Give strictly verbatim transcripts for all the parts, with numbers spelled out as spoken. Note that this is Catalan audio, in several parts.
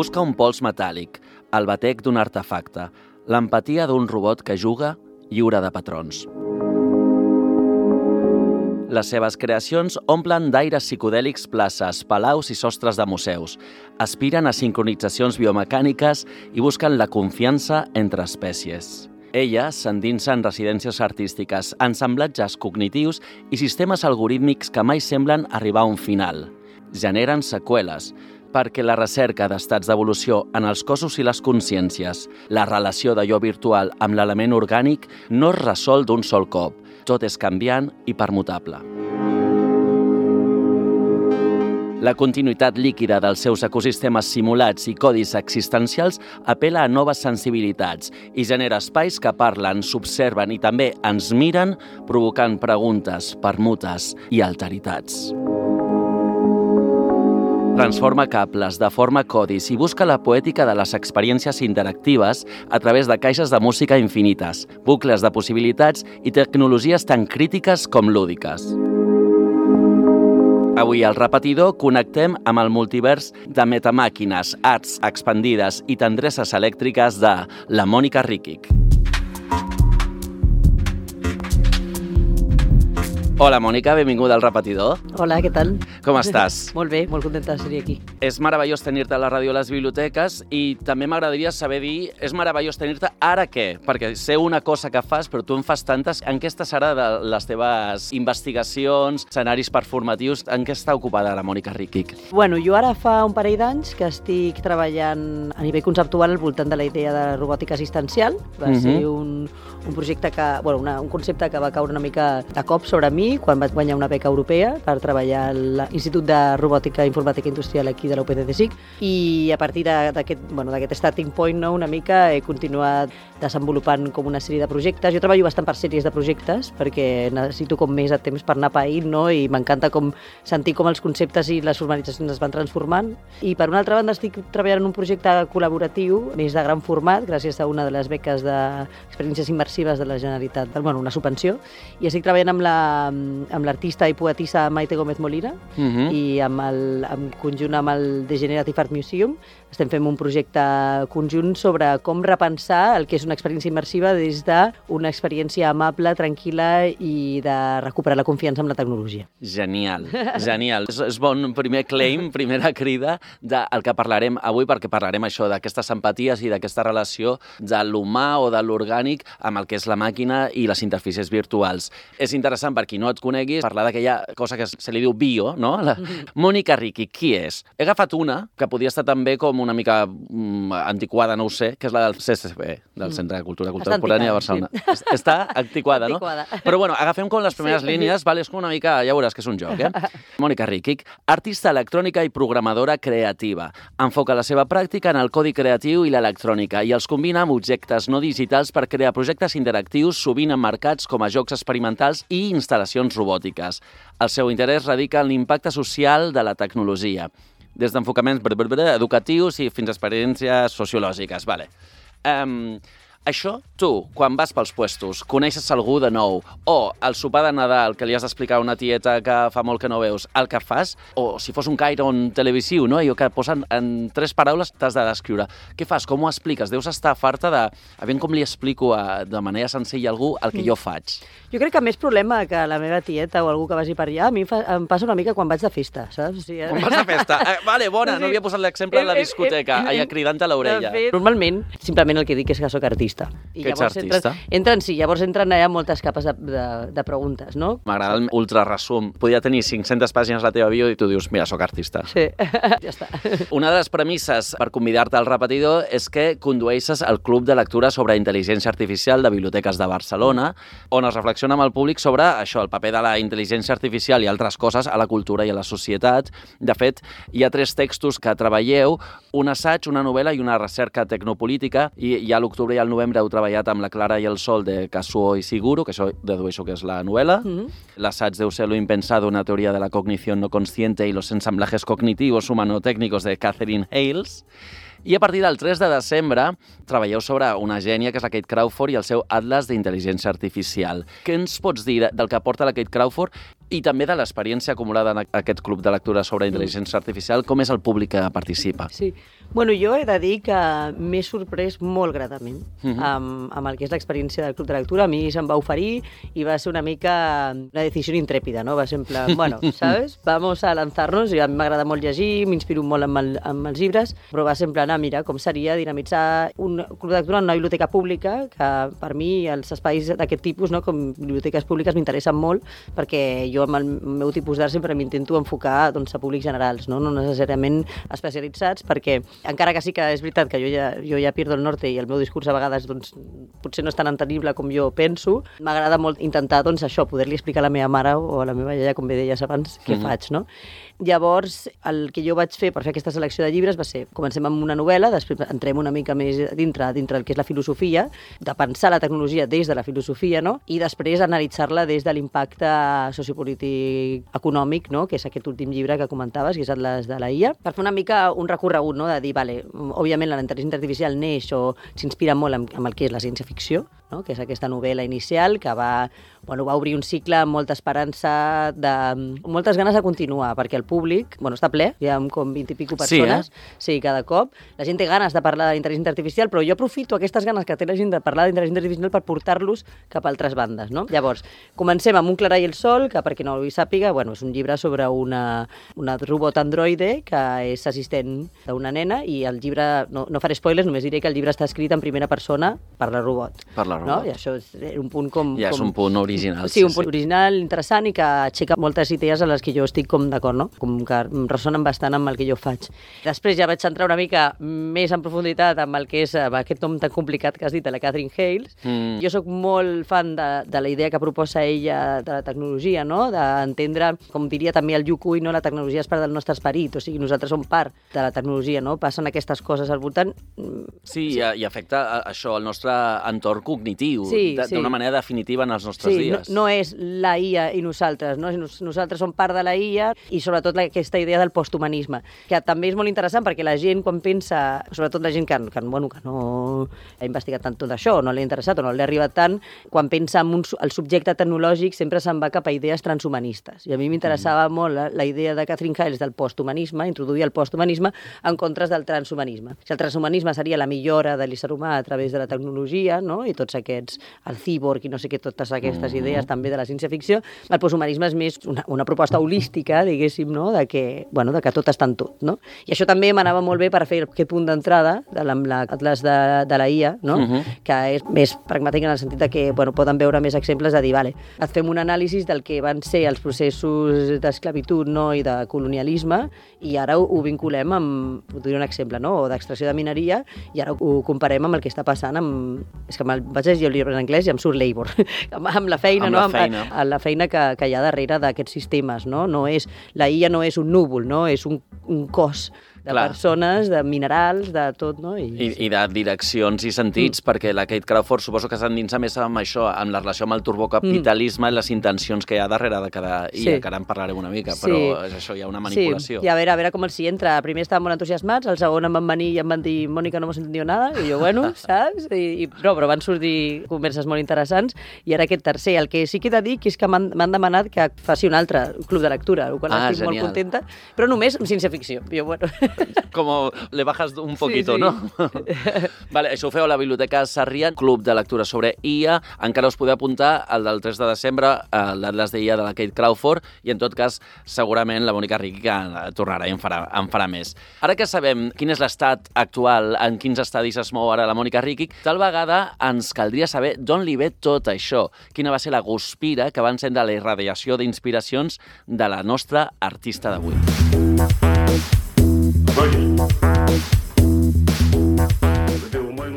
busca un pols metàl·lic, el batec d'un artefacte, l'empatia d'un robot que juga lliure de patrons. Les seves creacions omplen d'aires psicodèlics places, palaus i sostres de museus. Aspiren a sincronitzacions biomecàniques i busquen la confiança entre espècies. Ella s'endinsa en residències artístiques, ensamblatges cognitius i sistemes algorítmics que mai semblen arribar a un final. Generen seqüeles, perquè la recerca d'estats d'evolució en els cossos i les consciències, la relació d'allò virtual amb l'element orgànic, no es resol d'un sol cop. Tot és canviant i permutable. La continuïtat líquida dels seus ecosistemes simulats i codis existencials apela a noves sensibilitats i genera espais que parlen, s'observen i també ens miren, provocant preguntes, permutes i alteritats. Transforma cables, deforma codis i busca la poètica de les experiències interactives a través de caixes de música infinites, bucles de possibilitats i tecnologies tan crítiques com lúdiques. Avui al Repetidor connectem amb el multivers de metamàquines, arts expandides i tendresses elèctriques de la Mònica Ríquic. Hola, Mònica, benvinguda al Repetidor. Hola, què tal? Com estàs? Molt bé, molt contenta de ser aquí. És meravellós tenir-te a la ràdio a les biblioteques i també m'agradaria saber dir, és meravellós tenir-te ara què? Perquè sé una cosa que fas, però tu en fas tantes. En què està serà de les teves investigacions, escenaris performatius? En què està ocupada la Mònica Ríquic? Bueno, jo ara fa un parell d'anys que estic treballant a nivell conceptual al voltant de la idea de robòtica assistencial. Va uh-huh. ser un, un projecte que, bueno, una, un concepte que va caure una mica de cop sobre mi quan vaig guanyar una beca europea per treballar a l'Institut de Robòtica i Informàtica Industrial aquí de la U P C C S I C, i a partir d'aquest bueno, d'aquest starting point, no, una mica he continuat desenvolupant com una sèrie de projectes. Jo treballo bastant per sèries de projectes perquè necessito com més de temps per anar païnt, no? I m'encanta com sentir com els conceptes i les formalitzacions es van transformant. I per una altra banda estic treballant en un projecte col·laboratiu més de gran format gràcies a una de les beques d'experiències immersives de la Generalitat, bueno, una subvenció, i estic treballant amb la amb l'artista i poetissa Maite Gómez Molina uh-huh. i amb el, en conjunt amb el Degenerative Art Museum estem fent un projecte conjunt sobre com repensar el que és una experiència immersiva des d'una experiència amable, tranquil·la i de recuperar la confiança amb la tecnologia. Genial, genial. És, és bon primer claim, primera crida del que parlarem avui, perquè parlarem això d'aquestes empaties i d'aquesta relació de l'humà o de l'orgànic amb el que és la màquina i les interfícies virtuals. És interessant, per qui no et coneguis, parlar d'aquella cosa que se li diu bio, no? La Mònica Ríquic, qui és? He agafat una que podria estar també com una mica mm, antiquada, no ho sé, que és la del C C C, del Centre de Cultura Contemporània de Barcelona. Sí. Està antiquada, no? Antiquada. Però bueno, agafem com les primeres sí, línies, vale? És com una mica, ja veuràs que és un joc, eh? Mònica Ríquic, artista electrònica i programadora creativa. Enfoca la seva pràctica en el codi creatiu i l'electrònica i els combina amb objectes no digitals per crear projectes interactius sovint emmarcats com a jocs experimentals i instal·lacions robòtiques. El seu interès radica en l'impacte social de la tecnologia, des d'enfocaments educatius i fins a experiències sociològiques. Vale. Um, això, tu, quan vas pels puestos, coneixes algú de nou, o el sopar de Nadal que li has d'explicar a una tieta que fa molt que no veus, el que fas, o si fos un Chiron televisiu, no? I que posen en tres paraules t'has de descriure. Què fas? Com ho expliques? Deus estar farta de... A veure com li explico a, de manera senzilla a algú el que jo faig. Jo crec que més problema que la meva tieta o algú que vagi per allà, a mi fa, em passa una mica quan vaig de festa, saps? O sigui, quan vas de festa? Eh, vale, bona, no havia posat l'exemple en la discoteca, allà cridant a l'orella. Normalment, simplement el que dic és que sóc artista. I que ets artista? Entren, entren, sí, llavors entren allà moltes capes de, de, de preguntes, no? M'agrada el ultraresum. Podria tenir cinc-centes pàgines a la teva bio i tu dius, mira, sóc artista. Sí, ja està. Una de les premisses per convidar-te al Repetidor és que condueixes el Club de Lectura sobre Intel·ligència Artificial de Biblioteques de Barcelona, on es reflexiona amb el públic sobre això, el paper de la intel·ligència artificial i altres coses a la cultura i a la societat. De fet, hi ha tres textos que treballeu, un assaig, una novel·la i una recerca tecnopolítica, i ja a l'octubre i al novembre heu treballat amb La Clara i el Sol de Kazuo Ishiguro, que això dedueixo que és la novel·la. Mm-hmm. L'assaig deu ser Lo impensado, una teoria de la cognició no consciente y los ensamblajes cognitivos humanotécnicos de Catherine Hales. I a partir del tres de desembre treballeu sobre una gènia, que és la Kate Crawford, i el seu Atlas d'intel·ligència artificial. Què ens pots dir del que aporta la Kate Crawford I també de l'experiència acumulada en aquest club de lectura sobre intel·ligència artificial, com és el públic que participa? Sí. Bueno, jo he de dir que m'he sorprès molt gratament uh-huh. amb, amb el que és l'experiència del club de lectura. A mi se'm va oferir i va ser una mica una decisió intrèpida, no? Va ser en plan, bueno, ¿sabes? Vamos a lanzarnos. I a mi m'agrada molt llegir, m'inspiro molt amb, el, amb els llibres, però va ser en plan, ah, mira, com seria dinamitzar un club de lectura en una biblioteca pública, que per mi els espais d'aquest tipus, no? Com biblioteques públiques, m'interessen molt, perquè jo amb el meu tipus d'art sempre m'intento enfocar doncs, a públics generals, no? No necessàriament especialitzats, perquè encara que sí que és veritat que jo ja, jo ja pierdo el norte i el meu discurs a vegades doncs, potser no és tan entendible com jo penso, m'agrada molt intentar doncs, això, poder-li explicar a la meva mare o a la meva iaia, com bé deies abans, què mm-hmm. faig, no? Llavors, el que jo vaig fer per fer aquesta selecció de llibres va ser, comencem amb una novel·la, després entrem una mica més dintre, dintre del que és la filosofia, de pensar la tecnologia des de la filosofia, no? I després analitzar-la des de l'impacte sociopolític econòmic, no? Que és aquest últim llibre que comentaves, que és Atlas de la I A, per fer una mica un recorregut, no? De dir, vale, òbviament la intel·ligència artificial neix o s'inspira molt amb, amb el que és la ciència-ficció, no? Que és aquesta novel·la inicial que va, bueno, va obrir un cicle amb molta esperança, de, moltes ganes de continuar, perquè el públic, bueno, està ple, hi ha com vint i pico persones, sí, eh? Sí, cada cop. La gent té ganes de parlar d'intel·ligència artificial, però jo aprofito aquestes ganes que té la gent de parlar d'intel·ligència artificial per portar-los cap a altres bandes, no? Llavors, comencem amb Un Clara i el Sol, que per qui no ho sàpiga, bueno, és un llibre sobre una, una robot androide que és assistent d'una nena i el llibre, no, no faré spoilers, només diré que el llibre està escrit en primera persona per la robot. Per la robot. No? I això és un punt com... Ja com... és un punt original. Sí, sí, un punt sí. original, interessant i que aixeca moltes idees a les que jo estic com d'acord, no? Com que ressonen bastant amb el que jo faig. Després ja vaig entrar una mica més en profunditat amb el que és amb aquest nom tan complicat que has dit, de la Catherine Hayles. Mm. Jo sóc molt fan de, de la idea que proposa ella de la tecnologia, no? D'entendre, com diria també el Yukui, no? La tecnologia és part del nostre esperit, o sigui, nosaltres som part de la tecnologia, no? Passen aquestes coses al voltant. Sí, sí. I, i afecta això el nostre entorn cognitiu, sí, d'una sí. manera definitiva en els nostres sí, dies. No, no és la I A i nosaltres, no? Nosaltres som part de la I A i sobretot aquesta idea del posthumanisme, que també és molt interessant perquè la gent quan pensa, sobretot la gent que, que, bueno, que no ha investigat tant tot això, no l'ha interessat o no l'ha arribat tant, quan pensa en un, el subjecte tecnològic sempre se'n va cap a idees transhumanistes. I a mi m'interessava mm. molt la, la idea de Catherine Hayles del posthumanisme, introduir el posthumanisme en contres del transhumanisme. Si el transhumanisme seria la millora de l'ésser humà a través de la tecnologia, no? I tots aquests, el cíborg i no sé què, totes aquestes mm. idees també de la ciència-ficció, el posthumanisme és més una, una proposta holística, diguéssim, no? De que, bueno, de que tot està en tot, no? I això també m'anava molt bé per fer aquest punt d'entrada de l'Atlas de, de la I A, no? Uh -huh. Que és més pragmàtic en el sentit de que, bueno, poden veure més exemples de dir, vale, et fem un anàlisi del que van ser els processos d'esclavitud, no? I de colonialisme, i ara ho, ho vinculem amb, ho diré un exemple, no? O d'extracció de mineria, i ara ho comparem amb el que està passant amb... És que vaig llegir el llibre en anglès i em surt labor. amb, amb la feina, amb no? La feina. Amb, amb la feina que, que hi ha darrere d'aquests sistemes, no? No és, la I A no és un núvol, no? És un, un cos de Clar. persones, de minerals, de tot, no? I, I, i de direccions i sentits, mm. perquè la Kate Crawford suposo que s'endinsa més amb això, amb la relació amb el turbocapitalisme, mm. les intencions que hi ha darrere de cada I A, sí. que ara en parlarem una mica, sí. però és això, hi ha una manipulació. Sí, i a veure, a veure com els hi entra. Primer estaven molt entusiasmats, el segon em van venir i em van dir, Mònica, no hemos entendido nada, i jo, bueno, saps? I, i, però, però van sortir converses molt interessants, i ara aquest tercer. El que sí que he de dir que és que m'han demanat que faci un altre club de lectura, el qual ah, estic genial. molt contenta, però només amb ciència-ficció. Jo, bueno... Com le bajas un poquito, sí, sí. no? Vale, això ho feu a la Biblioteca Sarrià, club de lectura sobre I A. Encara us podeu apuntar al del tres de desembre, a l'Atlas de I A de la Kate Crawford, i en tot cas, segurament la Mònica Riqui que tornarà i en farà, en farà més. Ara que sabem quin és l'estat actual, en quins estadis es mou ara la Mònica Riqui, tal vegada ens caldria saber d'on li ve tot això, quina va ser la guspira que va encendre la irradiació d'inspiracions de la nostra artista d'avui.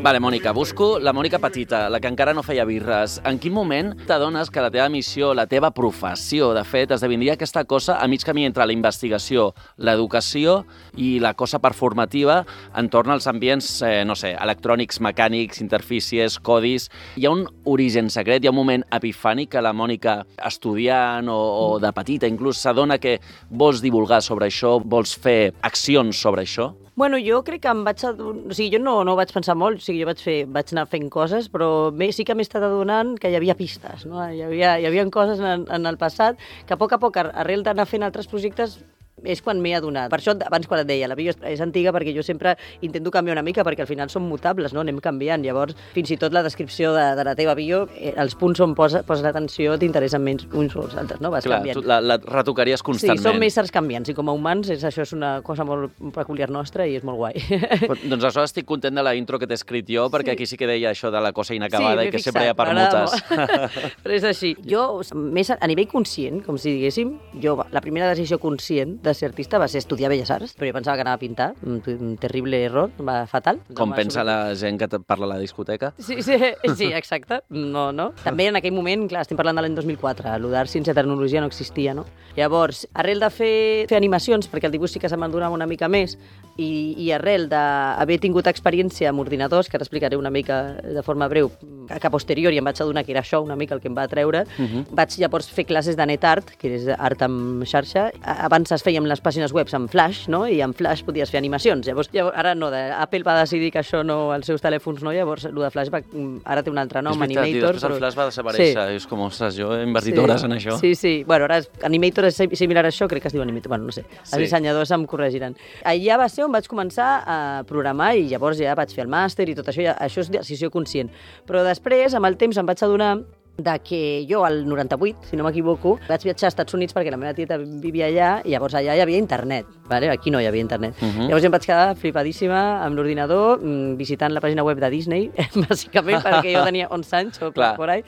Vale, Mònica, busco la Mònica petita, la que encara no feia birres. En quin moment t'adones que la teva missió, la teva professió, de fet, esdevindria aquesta cosa a mig camí entre la investigació, l'educació i la cosa performativa entorn als ambients, eh, no sé, electrònics, mecànics, interfícies, codis? Hi ha un origen secret, hi ha un moment epifànic que la Mònica, estudiant o, o de petita inclús, s'adona que vols divulgar sobre això, vols fer accions sobre això? Bueno, jo crec que em vaig adonar... O sigui, jo no, no ho vaig pensar molt, o sigui, jo vaig, fer, vaig anar fent coses, però bé, sí que m'he estat adonant que hi havia pistes, no? Hi havia, hi havia coses en, en el passat que a poc a poc, arrel d'anar fent altres projectes, és quan m'he adonat. Per això, abans quan et deia, la bio és antiga perquè jo sempre intento canviar una mica, perquè al final són mutables, no? Anem canviant. Llavors, fins i tot la descripció de, de la teva bio, eh, els punts on posa, posa l'atenció t'interessen menys uns o els altres, no? Vas Clar, canviant. tu la, la retocaries constantment. Sí, som éssers canviants, i com a humans és, això és una cosa molt peculiar nostra i és molt guai. Però, doncs això estic content de la intro que t'he escrit jo, perquè sí. Aquí sí que deia això de la cosa inacabada sí, i que fixat, sempre hi ha permutes. Però és així. Jo, més a, a nivell conscient, com si diguéssim, jo, la primera decisió conscient de ser artista va ser estudiar Belles Arts, però jo pensava que anava a pintar, un, un terrible error, va fatal. Com no pensa sobre... la gent que parla a la discoteca? Sí, sí, sí, exacte. No, no. També en aquell moment, clar, estem parlant de l'any dos mil quatre, allò d'art, ciència i tecnologia no existia, no? Llavors, arrel de fer, fer animacions, perquè el dibuix sí que se m'endonava una mica més, i, i arrel d'haver tingut experiència amb ordinadors, que ara explicaré una mica de forma breu, que a posteriori em vaig adonar que era això una mica el que em va atreure, uh -huh. vaig llavors fer classes de NetArt, que és art amb xarxa. Abans es feien les pàgines web amb Flash, no? I amb Flash podies fer animacions. Llavors, llavors ara no, de, Apple va decidir que això no, els seus telèfons no, llavors el de Flash va, ara té un altre nom, és veritat, Animator. I després però... el Flash va desaparèixer, sí. És com, ostres, jo he invertit hores sí. en això. Sí, sí, bueno, ara és, Animator és similar a això, crec que es diu Animator, bueno, no sé, els sí. dissenyadors em corregiran. Allà va ser on vaig començar a programar i llavors ja vaig fer el màster i tot això, ja, això és decisió conscient. Però després, amb el temps, em vaig adonar de que jo, al noranta-vuit, si no m'equivoco, vaig viatjar als Estats Units perquè la meva tieta vivia allà i llavors allà hi havia internet, ¿vale? Aquí no hi havia internet. Uh -huh. Llavors em vaig quedar flipadíssima amb l'ordinador, visitant la pàgina web de Disney, bàsicament perquè jo tenia onze anys o por ahí,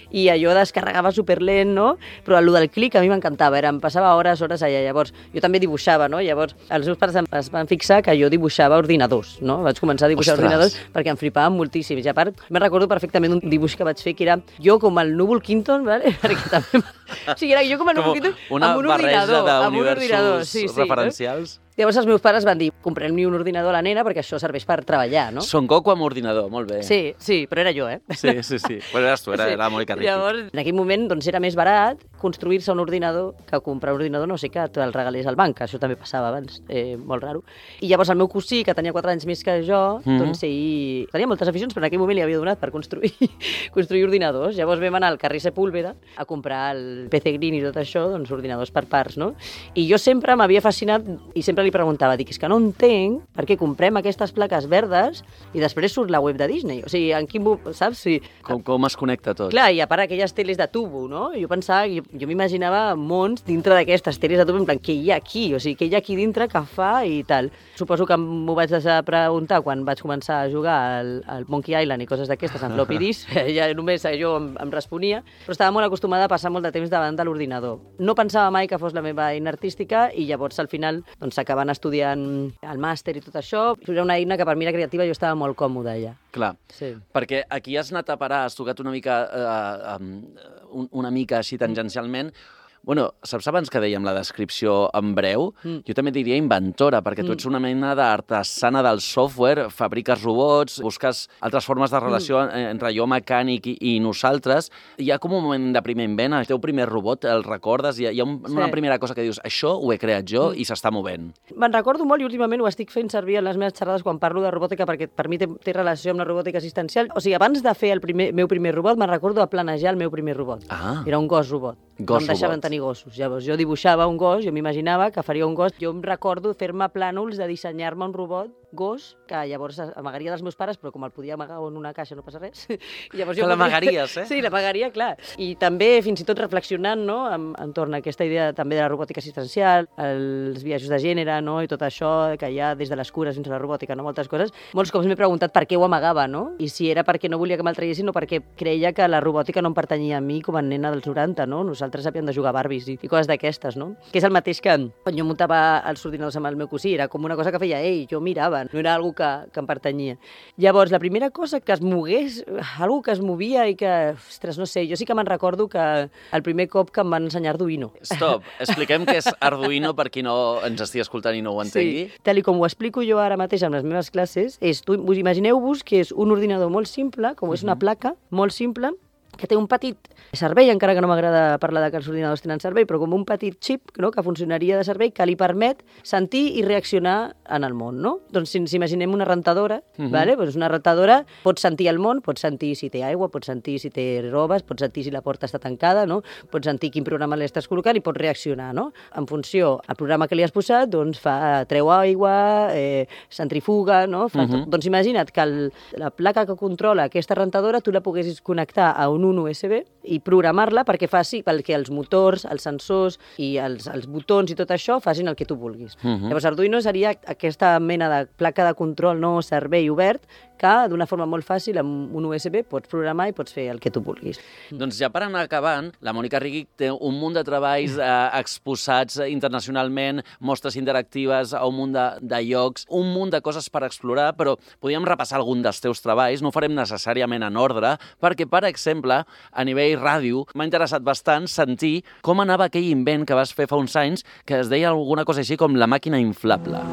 i allò descarregava superlent, no? Però el del clic a mi m'encantava, era, em passava hores, hores allà. Llavors, jo també dibuixava, no? Llavors, els meus pares es van fixar que jo dibuixava ordinadors, no? Vaig començar a dibuixar Ostres. ordinadors perquè em flipaven moltíssim. I a part, me'n recordo perfectament un dibuix que vaig fer que era jo com el núvol Quinton, ¿vale? Perquè també... O sigui, era jo com el núvol Quinton amb un ordinador. Amb un ordinador, sí, sí. Referencials. Llavors els meus pares van dir, comprem-li un ordinador a la nena perquè això serveix per treballar, no? Son Goku amb ordinador, molt bé. Sí, sí, però era jo, eh? Sí, sí, sí. Bueno, eres tu, era, sí. era molt carrífic. Llavors, en aquell moment, doncs, era més barat construir-se un ordinador que comprar un ordinador, no sé, que te'l regalés al banc, això també passava abans, eh, molt raro. I llavors el meu cosí, que tenia quatre anys més que jo, mm-hmm. doncs ell tenia moltes aficions, però en aquell moment li havia donat per construir, construir ordinadors. Llavors vam anar al carrer Sepúlveda a comprar el P C Green i tot això, doncs ordinadors per parts, no? I jo sempre m'havia fascinat i sempre li preguntava, dic, és que no entenc per què comprem aquestes plaques verdes i després surt la web de Disney. O sigui, en quin... saps? Sí. Com, com es connecta tot? Clar, i a part aquelles teles de tubo, no? Jo pensava, jo, jo m'imaginava mons dintre d'aquestes teles de tubo, en plan, què hi ha aquí? O sigui, què hi ha aquí dintre que fa i tal. Suposo que m'ho vaig deixar de preguntar quan vaig començar a jugar al, al Monkey Island i coses d'aquestes en floppy disk. Ja només jo em, em responia, però estava molt acostumada a passar molt de temps davant de l'ordinador. No pensava mai que fos la meva eina artística i llavors al final doncs, acabant estudiant el màster i tot això, era una eina que per mi era creativa i jo estava molt còmoda allà. Clar, sí. Perquè aquí has anat a parar, has tocat una mica, eh, um, una mica així tangencialment. Bueno, saps abans que dèiem la descripció en breu? Mm. Jo també diria inventora, perquè mm. tu ets una mena d'artesana del software, fabriques robots, busques altres formes de relació mm. entre jo mecànic i, i nosaltres. Hi ha com un moment de primer invent, el teu primer robot, el recordes? Hi ha, hi ha un, sí. una primera cosa que dius, això ho he creat jo mm. i s'està movent. Me'n recordo molt i últimament ho estic fent servir en les meves xerrades quan parlo de robòtica, perquè per mi té, té relació amb la robòtica assistencial. O sigui, abans de fer el primer, meu primer robot, me'n recordo de planejar el meu primer robot. Ah. Era un gos robot. Gos no em deixaven robot. tenir gossos. Llavors, jo dibuixava un gos, jo m'imaginava que faria un gos. Jo em recordo fer-me plànols de dissenyar-me un robot gos, que llavors amagaria dels meus pares, però com el podia amagar en una caixa no passa res. I llavors que jo l'amagaries, eh? Sí, l'amagaria, clar. I també, fins i tot reflexionant, no?, entorn a aquesta idea també de la robòtica assistencial, els biaixos de gènere, no?, i tot això que hi ha des de les cures fins a la robòtica, no?, moltes coses. Molts cops m'he preguntat per què ho amagava, no?, i si era perquè no volia que me'l traiessin o perquè creia que la robòtica no em pertanyia a mi com a nena dels noranta, no? Nosaltres havíem de jugar a Barbies i, i coses d'aquestes, no? Que és el mateix que quan jo muntava els ordinadors amb el meu cosí, era com una cosa que feia ell, jo mirava, no era algo que, que em pertanyia. Llavors, la primera cosa que es mogués, algo que es movia i que, ostres, no sé, jo sí que me'n recordo que el primer cop que em van ensenyar Arduino. Stop, expliquem què és Arduino per qui no ens estigui escoltant i no ho entengui. Sí, tal com ho explico jo ara mateix amb les meves classes, és, tu, imagineu-vos que és un ordinador molt simple, com és una placa, molt simple, que té un petit servei, encara que no m'agrada parlar de que els ordinadors tenen servei, però com un petit xip, no?, que funcionaria de servei, que li permet sentir i reaccionar en el món, no? Doncs si ens imaginem una rentadora, uh-huh. vale? Doncs una rentadora pot sentir el món, pot sentir si té aigua, pot sentir si té robes, pot sentir si la porta està tancada, no? Pot sentir quin programa li estàs col·locant i pot reaccionar, no? En funció al programa que li has posat, doncs fa, treu aigua, eh, centrifuga, no? Fa uh-huh. Doncs imagina't que el, la placa que controla aquesta rentadora tu la poguessis connectar a un un U S B i programar-la perquè faci, perquè els motors, els sensors i els, els botons i tot això facin el que tu vulguis. Uh-huh. Llavors, Arduino seria aquesta mena de placa de control, no servei obert, que d'una forma molt fàcil amb un U S B pots programar i pots fer el que tu vulguis. Doncs ja per anar acabant, la Mònica Riguich té un munt de treballs eh, exposats internacionalment, mostres interactives a un munt de, de llocs, un munt de coses per explorar, però podríem repassar algun dels teus treballs, no ho farem necessàriament en ordre, perquè, per exemple, a nivell ràdio, m'ha interessat bastant sentir com anava aquell invent que vas fer fa uns anys, que es deia alguna cosa així com la màquina inflable.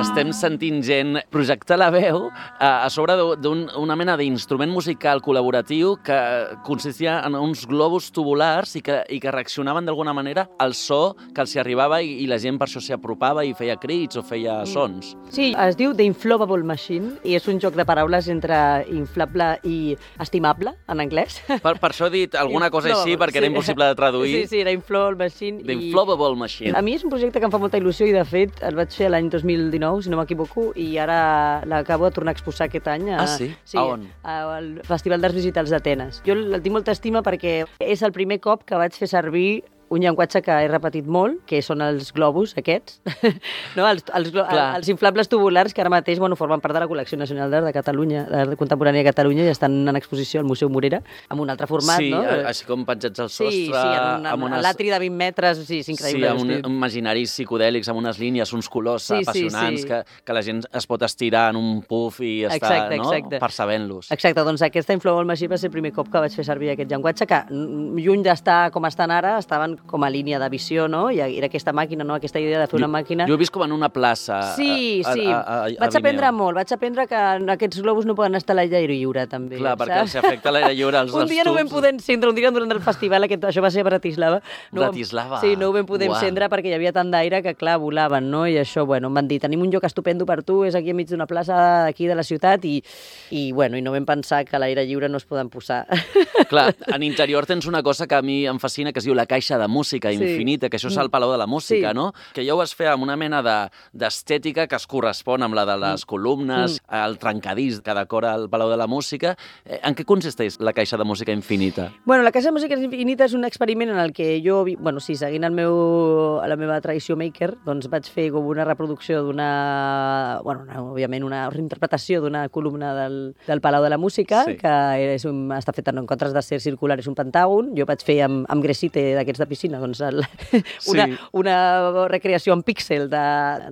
Estem sentint gent projectar la veu a sobre d'una mena d'instrument musical col·laboratiu que consistia en uns globus tubulars i que, i que reaccionaven d'alguna manera al so que els hi arribava i, i la gent per això s'hi apropava i feia crits o feia sons. Sí, es diu The Inflatable Machine i és un joc de paraules entre inflable i estimable, en anglès. Per, per això he dit alguna cosa així, perquè sí. Era impossible de traduir. Sí, sí, era Inflatable Machine. The Inflatable Machine. A mi és un projecte que em fa molta il·lusió i, de fet, el vaig fer l'any dos mil dinou, si no m'equivoco, i ara l'acabo de tornar a exposar aquest any. A, ah, sí? sí? A on? Al Festival d'Arts Digitals d'Atenes. Jo el tinc molta estima perquè és el primer cop que vaig fer servir un llenguatge que he repetit molt, que són els globus aquests, no? els, els, els inflables tubulars que ara mateix bueno, formen part de la Col·lecció Nacional d'Art de Catalunya, d'Art Contemporània de Catalunya, i estan en exposició al Museu Morera, amb un altre format. Sí, no? així com penjats al sostre. Sí, sí, en un, amb unes... l'atri de vint metres, sí, és increïble. Sí, amb un, imaginaris psicodèlics, amb unes línies, uns colors sí, apassionants, sí, sí. Que, que la gent es pot estirar en un puff i està exacte, no? exacte. Percebent-los. Exacte, doncs aquesta Inflatable Machine va ser el primer cop que vaig fer servir aquest llenguatge, que lluny d'estar com estan ara, estaven com a línia de visió, no? I era aquesta màquina, no? Aquesta idea de fer una màquina... Jo he vist com en una plaça. Sí, a, sí. A, a, a vaig aprendre molt. Vaig aprendre que aquests globus no poden estar a l'aire lliure, també. Clar, perquè els afecta l'aire lliure als Un dia no ho vam poder encendre, un dia durant el festival, aquest, això va ser a Bratislava. No Bratislava? Sí, no ho vam poder Uau. encendre perquè hi havia tant d'aire que, clar, volaven, no? I això, bueno, em van dir, tenim un lloc estupendo per tu, és aquí enmig d'una plaça d'aquí de la ciutat i, i, bueno, i no vam pensar que a l'aire lliure no es poden posar. Clar, en interior tens una cosa que a mi em fascina, que es diu la caixa de música sí. infinita, que això és el Palau de la Música, sí. no? Que ja ho vas fer amb una mena d'estètica de, que es correspon amb la de les columnes, mm. el trencadís que decora el Palau de la Música. En què consisteix la caixa de música infinita? Bueno, la caixa de música infinita és un experiment en el que jo, bueno, sí, seguint el meu, la meva tradició maker, doncs vaig fer com una reproducció d'una, bueno, una, òbviament una reinterpretació d'una columna del, del Palau de la Música, sí. que és un, està feta en comptes de ser circular, és un pentàgon. Jo vaig fer amb, amb gresite d'aquests de piscina, doncs el, una, sí. una recreació en píxel de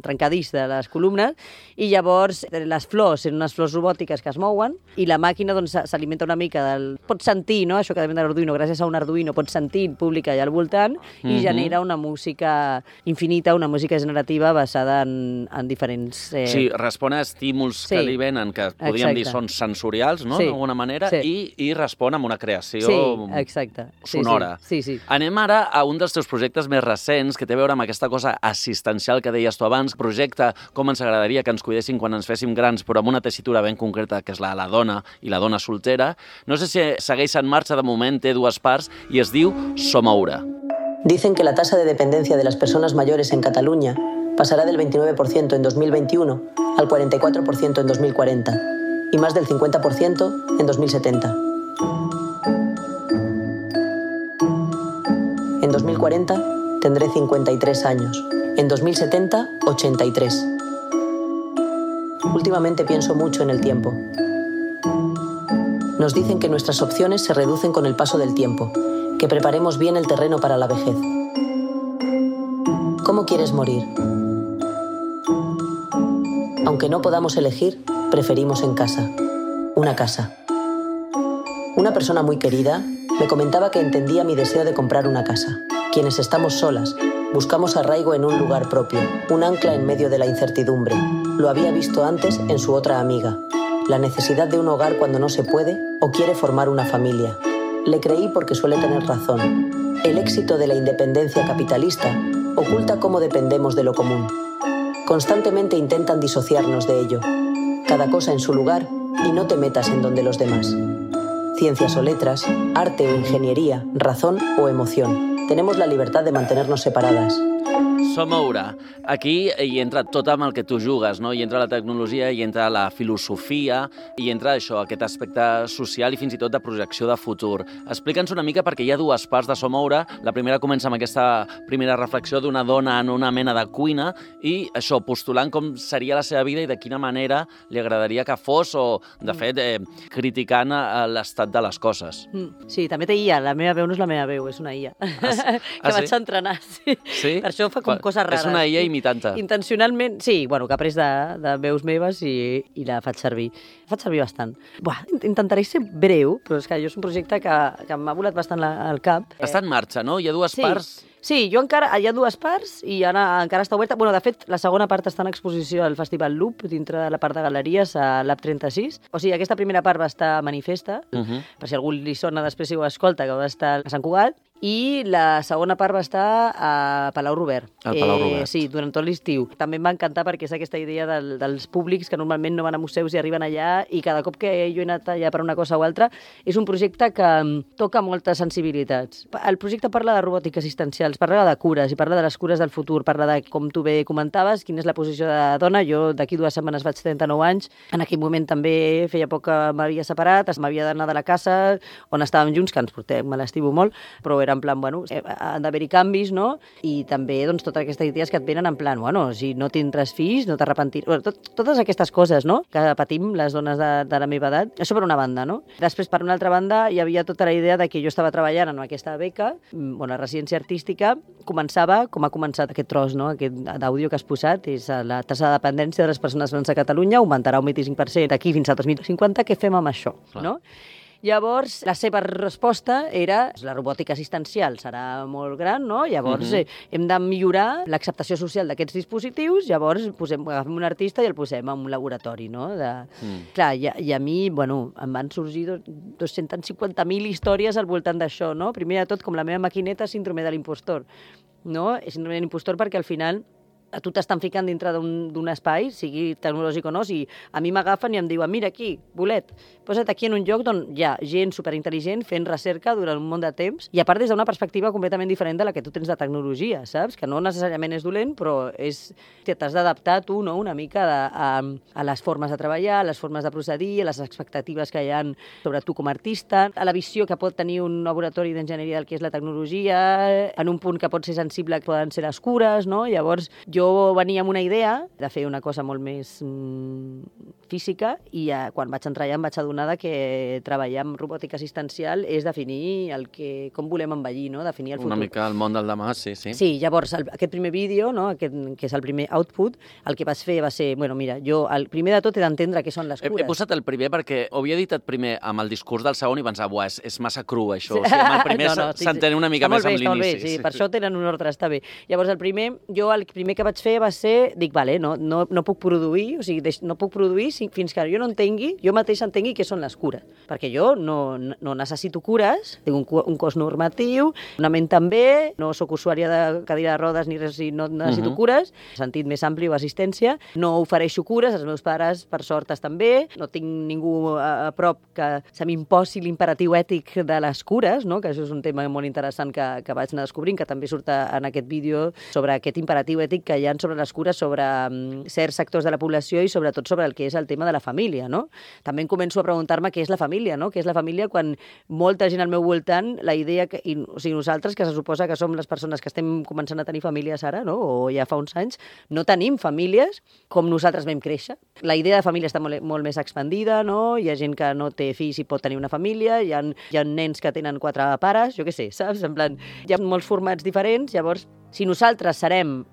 trencadís de les columnes, i llavors les flors són unes flors robòtiques que es mouen, i la màquina doncs, s'alimenta una mica del... Pots sentir, no? Això que depèn de l'Arduino, gràcies a un Arduino pots sentir pública i al voltant, mm-hmm. i genera una música infinita, una música generativa basada en, en diferents... Eh... Sí, respon a estímuls sí. que li venen, que podríem exacte. dir són sensorials, no? Sí. D'alguna manera, sí. i, i respon amb una creació sí, exacte. sonora. Sí, sí. Sí, sí. Anem ara a un dels teus projectes més recents, que té a veure amb aquesta cosa assistencial que deies tu abans, projecte com ens agradaria que ens cuidessin quan ens féssim grans, però amb una tessitura ben concreta, que és la de la dona i la dona soltera. No sé si segueix en marxa de moment, té dues parts, i es diu Somoure. Dicen que la tasa de dependencia de las personas mayores en Cataluña pasará del veintinueve por ciento en dos mil veintiuno al cuarenta y cuatro por ciento en dos mil cuarenta y más del cincuenta por ciento en dos mil setenta. En dos mil cuarenta tendré cincuenta y tres años. En dos mil setenta, ochenta y tres. Últimamente pienso mucho en el tiempo. Nos dicen que nuestras opciones se reducen con el paso del tiempo, que preparemos bien el terreno para la vejez. ¿Cómo quieres morir? Aunque no podamos elegir, preferimos en casa. Una casa. Una persona muy querida me comentaba que entendía mi deseo de comprar una casa. Quienes estamos solas, Buscamos arraigo en un lugar propio, un ancla en medio de la incertidumbre. Lo había visto antes en su otra amiga. La necesidad de un hogar cuando no se puede o quiere formar una familia. Le creí porque suele tener razón. El éxito de la independencia capitalista oculta cómo dependemos de lo común. Constantemente intentan disociarnos de ello. Cada cosa en su lugar y no te metas en donde los demás. Ciencias o letras, arte o ingeniería, razón o emoción. Tenemos la libertad de mantenernos separadas. Somoura. Aquí hi entra tot amb el que tu jugues, no? Hi entra la tecnologia, hi entra la filosofia, hi entra això, aquest aspecte social i fins i tot de projecció de futur. Explica'ns una mica perquè hi ha dues parts de Somoura. La primera comença amb aquesta primera reflexió d'una dona en una mena de cuina i això, postulant com seria la seva vida i de quina manera li agradaria que fos o, de fet, eh, criticant l'estat de les coses. Mm. Sí, també té I A. La meva veu no és la meva veu, és una I A. Ah, que ah, vaig sí? entrenar, sí. Sí? Per això fa com coses rares. És una I A imitant-te. Intencionalment, sí, bueno, que he après de, de veus meves i, i la faig servir. La faig servir bastant. Buah, intentaré ser breu, però és que jo és un projecte que, que m'ha volat bastant la, al cap. Està en marxa, no? Hi ha dues sí. parts... Sí, jo encara, hi ha dues parts i ara encara està oberta. Bueno, de fet, la segona part està en exposició al Festival Loop, dintre de la part de galeries, a l'A P trenta-sis. O sigui, aquesta primera part va estar a Manifesta, uh -huh. per si algú li sona després si ho escolta, que va estar a Sant Cugat, i la segona part va estar a Palau Robert. Al Palau Robert. Eh, sí, durant tot l'estiu. També em va encantar perquè és aquesta idea del, dels públics que normalment no van a museus i arriben allà i cada cop que jo he anat allà per una cosa o altra és un projecte que toca moltes sensibilitats. El projecte parla de robòtica assistencial, parla de cures i parla de les cures del futur, parla de, com tu bé comentaves, quina és la posició de dona. Jo d'aquí dues setmanes vaig trenta-nou anys, en aquell moment també feia poc que m'havia separat, m'havia d'anar de la casa on estàvem junts, que ens portem, me l'estimo molt, però era en plan, bueno, han d'haver-hi canvis, no? I també, doncs, totes aquestes idees que et venen en plan, bueno, si no tindràs fills, no t'arrepentiràs... Bueno, tot, totes aquestes coses, no?, que patim les dones de, de la meva edat. Això per una banda, no? Després, per una altra banda, hi havia tota la idea de que jo estava treballant en aquesta beca, bueno, la residència artística, començava com ha començat aquest tros, no?, aquest d'àudio que has posat, és la tassa de dependència de les persones grans a Catalunya, augmentarà un vint-i-cinc per cent d'aquí fins al dos mil cinquanta, què fem amb això, clar, no? Llavors, la seva resposta era la robòtica assistencial serà molt gran, no? Llavors, uh-huh. eh, hem de millorar l'acceptació social d'aquests dispositius, llavors posem, agafem un artista i el posem en un laboratori, no? De... Mm. Clar, i, i a mi, bueno, em van sorgir dos-centes cinquanta mil històries al voltant d'això, no? Primer de tot, com la meva maquineta, síndrome de l'impostor, no? Síndrome de l'impostor perquè al final a tu t'estan ficant dintre d'un espai, sigui tecnològic o no, si a mi m'agafen i em diuen, mira aquí, bolet, posa't aquí en un lloc on hi ha gent superintel·ligent fent recerca durant un munt de temps, i a part des d'una perspectiva completament diferent de la que tu tens de tecnologia, saps? Que no necessàriament és dolent, però és... t'has d'adaptar tu, no?, una mica de, a, a les formes de treballar, a les formes de procedir, a les expectatives que hi ha sobre tu com a artista, a la visió que pot tenir un laboratori d'enginyeria del que és la tecnologia, en un punt que pot ser sensible que poden ser les cures, no? Llavors, jo venia amb una idea de fer una cosa molt més mm, física i ja, quan vaig entrar allà em vaig adonar que treballar amb robòtica assistencial és definir el que, com volem envellir, no? Definir el futur. Una mica el món del demà, sí, sí. Sí, llavors, el, aquest primer vídeo, no? aquest, que és el primer output, el que vaig fer va ser, bueno, mira, jo el primer de tot he d'entendre què són les cures. He, he posat el primer perquè ho havia editat primer amb el discurs del segon i pensava, buah, és, és massa cru, això. Sí. O sigui, amb el primer no, no, s'entén sí, una mica més amb l'inici. Sí, sí, per això tenen un ordre, està bé. Llavors, el primer, jo el primer que vaig fer va ser, dic, vale, no, no, no puc produir, o sigui, deix, no puc produir fins que jo no entengui, jo mateix entengui què són les cures. Perquè jo no, no necessito cures, tinc un, un cos normatiu, una ment també, no sóc usuària de cadira de rodes ni res, no necessito uh-huh. cures, sentit més ampli o assistència, no ofereixo cures, els meus pares, per sort, estan bé, no tinc ningú a, a prop que se m'imposi l'imperatiu ètic de les cures, no? Que això és un tema molt interessant que, que vaig anar descobrint, que també surt en aquest vídeo sobre aquest imperatiu ètic que hi ha sobre les cures, sobre um, certs sectors de la població i sobretot sobre el que és el tema de la família, no? També em començo a preguntar-me què és la família, no? Què és la família quan molta gent al meu voltant, la idea que, i, o sigui, nosaltres, que se suposa que som les persones que estem començant a tenir famílies ara, no? O ja fa uns anys, no tenim famílies com nosaltres vam créixer. La idea de família està molt, molt més expandida, no? Hi ha gent que no té fills i pot tenir una família, hi ha, hi ha nens que tenen quatre pares, jo què sé, saps? En plan, hi ha molts formats diferents, llavors si nosaltres serem,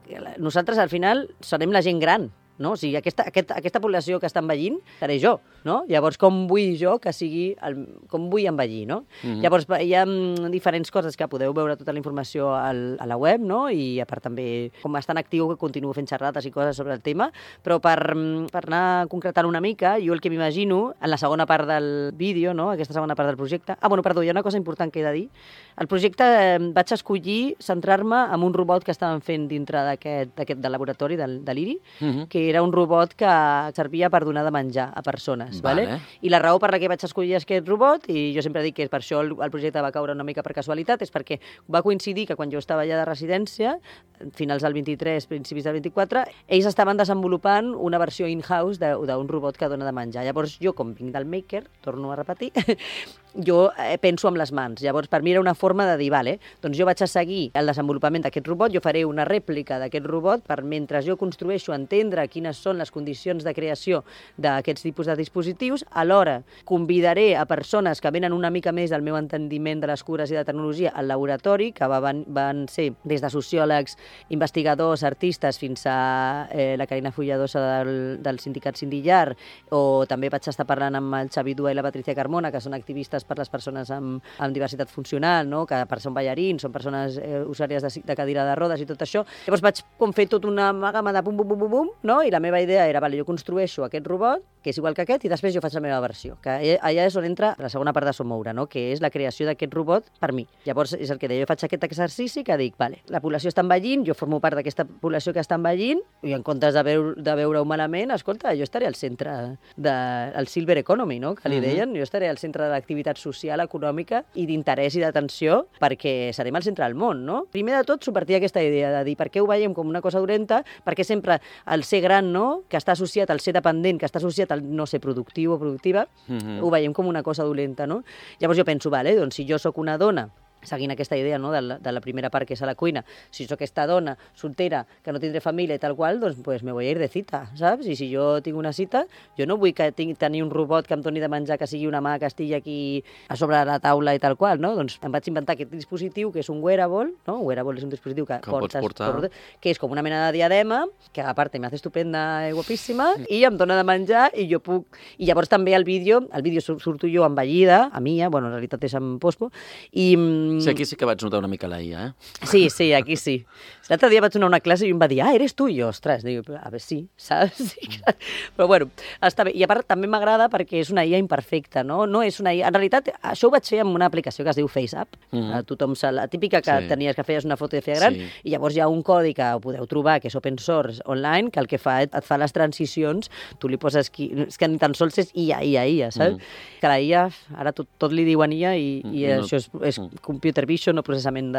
nosaltres al final serem la gent gran, no? O sigui, aquesta, aquesta, aquesta població que està envellint seré jo, no? Llavors, com vull jo que sigui, el, com vull envellir, no? Mm-hmm. Llavors, hi ha diferents coses que podeu veure tota la informació al, a la web, no? I a part també, com estan actiu, que continuo fent xerrades i coses sobre el tema, però per, per anar concretant una mica, jo el que m'imagino, en la segona part del vídeo, no? Aquesta segona part del projecte... Ah, bueno, perdó, hi ha una cosa important que he de dir. El projecte eh, vaig escollir centrar-me en un robot que estàvem fent dintre d'aquest del laboratori del, de l'I R I, mm-hmm. que era un robot que servia per donar de menjar a persones. Vale. Vale? I la raó per la que vaig escollir aquest robot, i jo sempre dic que per això el, el projecte va caure una mica per casualitat, és perquè va coincidir que quan jo estava allà de residència, finals del vint-i-tres, principis del vint-i-quatre, ells estaven desenvolupant una versió in-house d'un robot que dona de menjar. Llavors jo, com vinc del Maker, torno a repetir, jo eh, penso amb les mans. Llavors, per mi era una forma de dir, vale, doncs jo vaig a seguir el desenvolupament d'aquest robot, jo faré una rèplica d'aquest robot per, mentre jo construeixo, entendre quines són les condicions de creació d'aquests tipus de dispositius, alhora convidaré a persones que venen una mica més del meu entendiment de les cures i de tecnologia al laboratori, que van, van ser des de sociòlegs, investigadors, artistes, fins a eh, la Carina Fulladosa del, del sindicat Sindillar, o també vaig estar parlant amb el Xavi Dua i la Patricia Carmona, que són activistes per les persones amb, amb diversitat funcional, no? Que per són ballarins, són persones eh, usuàries de, de cadira de rodes i tot això. Llavors vaig com fer tot una amàgama de bum, bum, bum, bum, bum, no? I la meva idea era, vale, jo construeixo aquest robot, que és igual que aquest, i després jo faig la meva versió, que allà és on entra la segona part de Sommoure, no? Que és la creació d'aquest robot per mi. Llavors és el que deia, jo faig aquest exercici que dic, vale, la població està envellint, jo formo part d'aquesta població que està envellint, i en comptes de, veu, de veure-ho malament, escolta, jo estaré al centre del de, Silver Economy, no? Que li deien, uh-huh. Jo estaré al centre de l'activitat social, econòmica i d'interès i d'atenció, perquè serem al centre del món, no? Primer de tot, subvertir aquesta idea de dir per què ho veiem com una cosa dolenta, perquè sempre el ser gran, no?, que està associat al ser dependent, que està associat al no ser productiu o productiva, uh-huh. Ho veiem com una cosa dolenta, no? Llavors jo penso, vale, doncs si jo sóc una dona, seguint aquesta idea, no, de, la, de la primera part que és a la cuina, si sóc aquesta dona soltera que no tindré família i tal qual, doncs pues me voy a ir de cita, saps? I si jo tinc una cita, jo no vull que tinc, tenir un robot que em doni de menjar, que sigui una mà que estigui aquí a sobre la taula i tal qual, no? Doncs em vaig inventar aquest dispositiu que és un wearable, no? Un wearable és un dispositiu que, que portes, portar. Portes, que és com una mena de diadema, que a part me hace estupenda i guapíssima, i em dona de menjar i jo puc... I llavors també el vídeo, el vídeo surto jo envellida, a Mia, bueno, en realitat és en pospo, i... Sí, aquí sí que vaig notar una mica la I A, eh? Sí, sí, aquí sí. L'altre dia vaig donar una classe i em va dir, ah, eres tu? I jo, ostres, dic, a veure, sí, saps? Sí, però bueno, està bé. I a part també m'agrada perquè és una I A imperfecta, no? No és una I A... En realitat, això ho vaig fer amb una aplicació que es diu FaceApp. Mm-hmm. Tothom se la típica que sí. Tenies que feies una foto i feia gran, sí. I llavors hi ha un codi que ho podeu trobar, que és open source online, que el que fa et fa les transicions, tu li poses... Qui... És que ni tan sols és I A, I A, I A, saps? Mm. Que la I A, ara tot, tot li diuen I A i, mm. i no. Això és, és computer vision o processament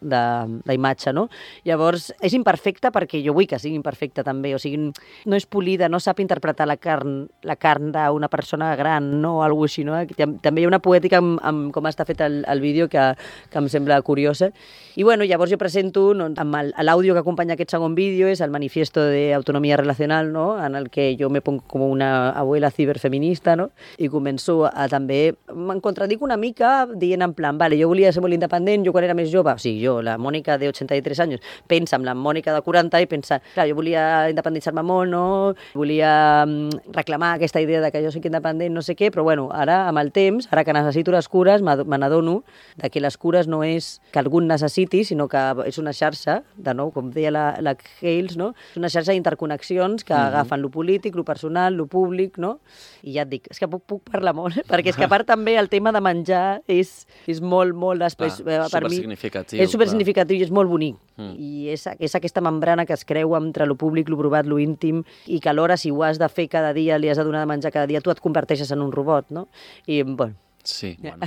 d'imatge, no? Llavors, és imperfecta perquè jo vull que sigui imperfecta també, o sigui, no és polida, no sap interpretar la carn, la carn d'una persona gran, no? O alguna cosa així, no? També hi ha una poètica amb, amb com està fet el, el vídeo que, que em sembla curiosa. I bueno, llavors jo presento, no, amb l'àudio que acompanya aquest segon vídeo, és el manifiesto de autonomia relacional, no? En el que jo me pongo com una abuela ciberfeminista, no? I començo a, a també... Me'n contradic una mica dient en plan, vale, jo volia ser molt independent, jo quan era més jove, o sigui, jo, la Mònica de ochenta y tres anys, pensa amb la Mònica de quaranta i pensa, clar, jo volia independitzar-me molt, no? Volia reclamar aquesta idea de que jo soc independent, no sé què, però bueno, ara, amb el temps, ara que necessito les cures, me n'adono de que les cures no és que algú necessiti, sinó que és una xarxa, de nou, com deia la, la Hales, no? És una xarxa d'interconnexions que mm-hmm. agafen lo polític, lo personal, lo públic, no? I ja et dic, és que puc, puc parlar molt, eh? Perquè és que a part també el tema de menjar és, és molt, molt després, clar, per mi, és supersignificatiu i és molt bonic. Mm. I és, és aquesta membrana que es creu entre lo públic, lo provat, lo íntim, i que alhora, si ho has de fer cada dia, li has de donar de menjar cada dia, tu et converteixes en un robot, no? I, bueno, sí, bueno.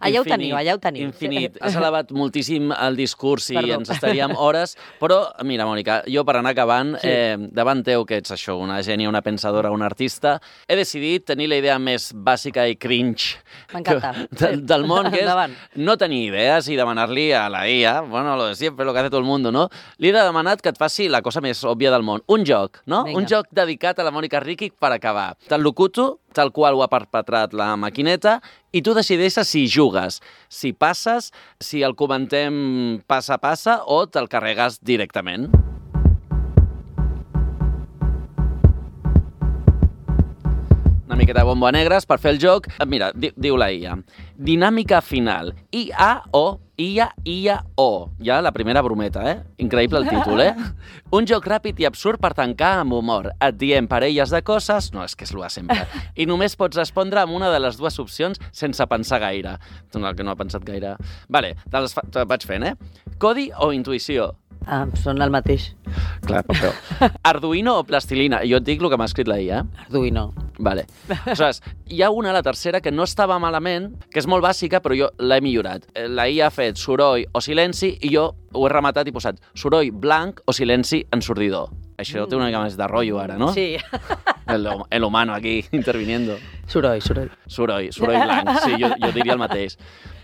Allà ho teniu, allà ho teniu. Infinit. Has elevat moltíssim el discurs i Perdó. Ens estaríem hores, però, mira, Mònica, jo per anar acabant, sí. eh, davant teu, que ets això, una gènia, una pensadora, una artista, he decidit tenir la idea més bàsica i cringe del, del món, que és no tenir idees i demanar-li a la I A, bueno, lo de siempre, lo que hace todo el mundo, no? Li he demanat que et faci la cosa més òbvia del món, un joc, no? Venga. Un joc dedicat a la Mònica Riqui per acabar. Te'l locuto, tal qual ho ha perpetrat la maquineta, i tu decideixes si jugues, si passes, si el comentem passa a passa o te'l carregues directament. miqueta de bombo a negres per fer el joc. Mira, di diu la I A. Dinàmica final. I A O, I A, I A O. Ja la primera brometa, eh? Increïble el títol, eh? Un joc ràpid i absurd per tancar amb humor. Et diem parelles de coses... No, és que és l'u de sempre. I només pots respondre amb una de les dues opcions sense pensar gaire. Tu no, que no ha pensat gaire. Vale, te les fa... te vaig fent, eh? Codi o intuïció? Ah, són el mateix. Clar, però... Arduino o plastilina? Jo et dic el que m'ha escrit la I A. Arduino. Vale. Aleshores, hi ha una, la tercera, que no estava malament, que és molt bàsica, però jo l'he millorat. La I A ha fet soroll o silenci i jo ho he rematat i posat soroll blanc o silenci ensordidor. Això mm. té una mica més de rotllo ara, no? Sí. El, el humano aquí interviniendo. Soroll, soroll. Soroll, soroll blanc. Sí, jo, jo diria el mateix.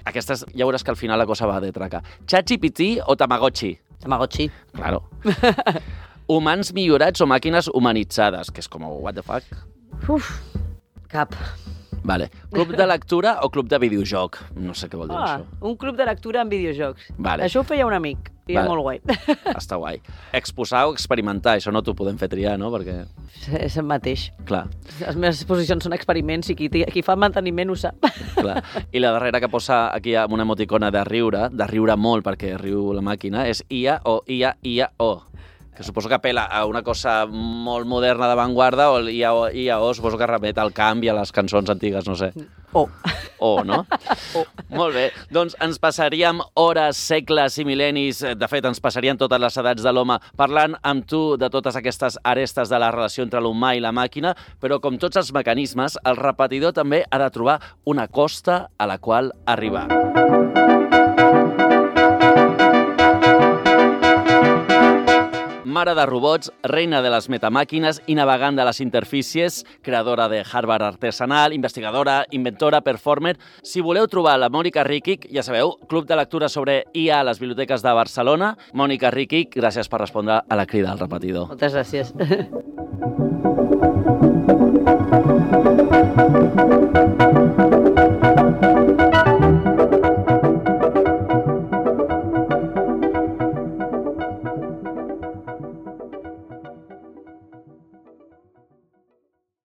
Aquestes, ja veuràs que al final la cosa va de traca. ChatGPT o Tamagotchi? Tamagotchi. Claro. Humans millorats o màquines humanitzades? Que és com, what the fuck? Uf, cap. Vale. Club de lectura o club de videojoc? No sé què vol dir ah, això. Un club de lectura en videojocs. Vale. Això ho feia un amic, i vale. És molt guai. Està guai. Exposar o experimentar, això no t'ho podem fer triar, no? Perquè... És el mateix. Clar. Les meves exposicions són experiments i qui, qui fa manteniment ho sap. Clar. I la darrera que posa aquí amb una emoticona de riure, de riure molt perquè riu la màquina, és I A o I A, I A O. Que suposo que apela a una cosa molt moderna d'avantguarda o I A O, I A O suposo que remet al canvi a les cançons antigues, no sé. O. O, no? O. Molt bé. Doncs ens passaríem hores, segles i mil·lennis, de fet, ens passarien totes les edats de l'home parlant amb tu de totes aquestes arestes de la relació entre l'humà i la màquina, però com tots els mecanismes, el repetidor també ha de trobar una costa a la qual arribar. Mare de robots, reina de les metamàquines i navegant de les interfícies, creadora de hardware artesanal, investigadora, inventora, performer... Si voleu trobar la Mònica Ríquic, ja sabeu, Club de Lectura sobre I A a les biblioteques de Barcelona. Mònica Ríquic, gràcies per respondre a la crida al repetidor. Moltes gràcies.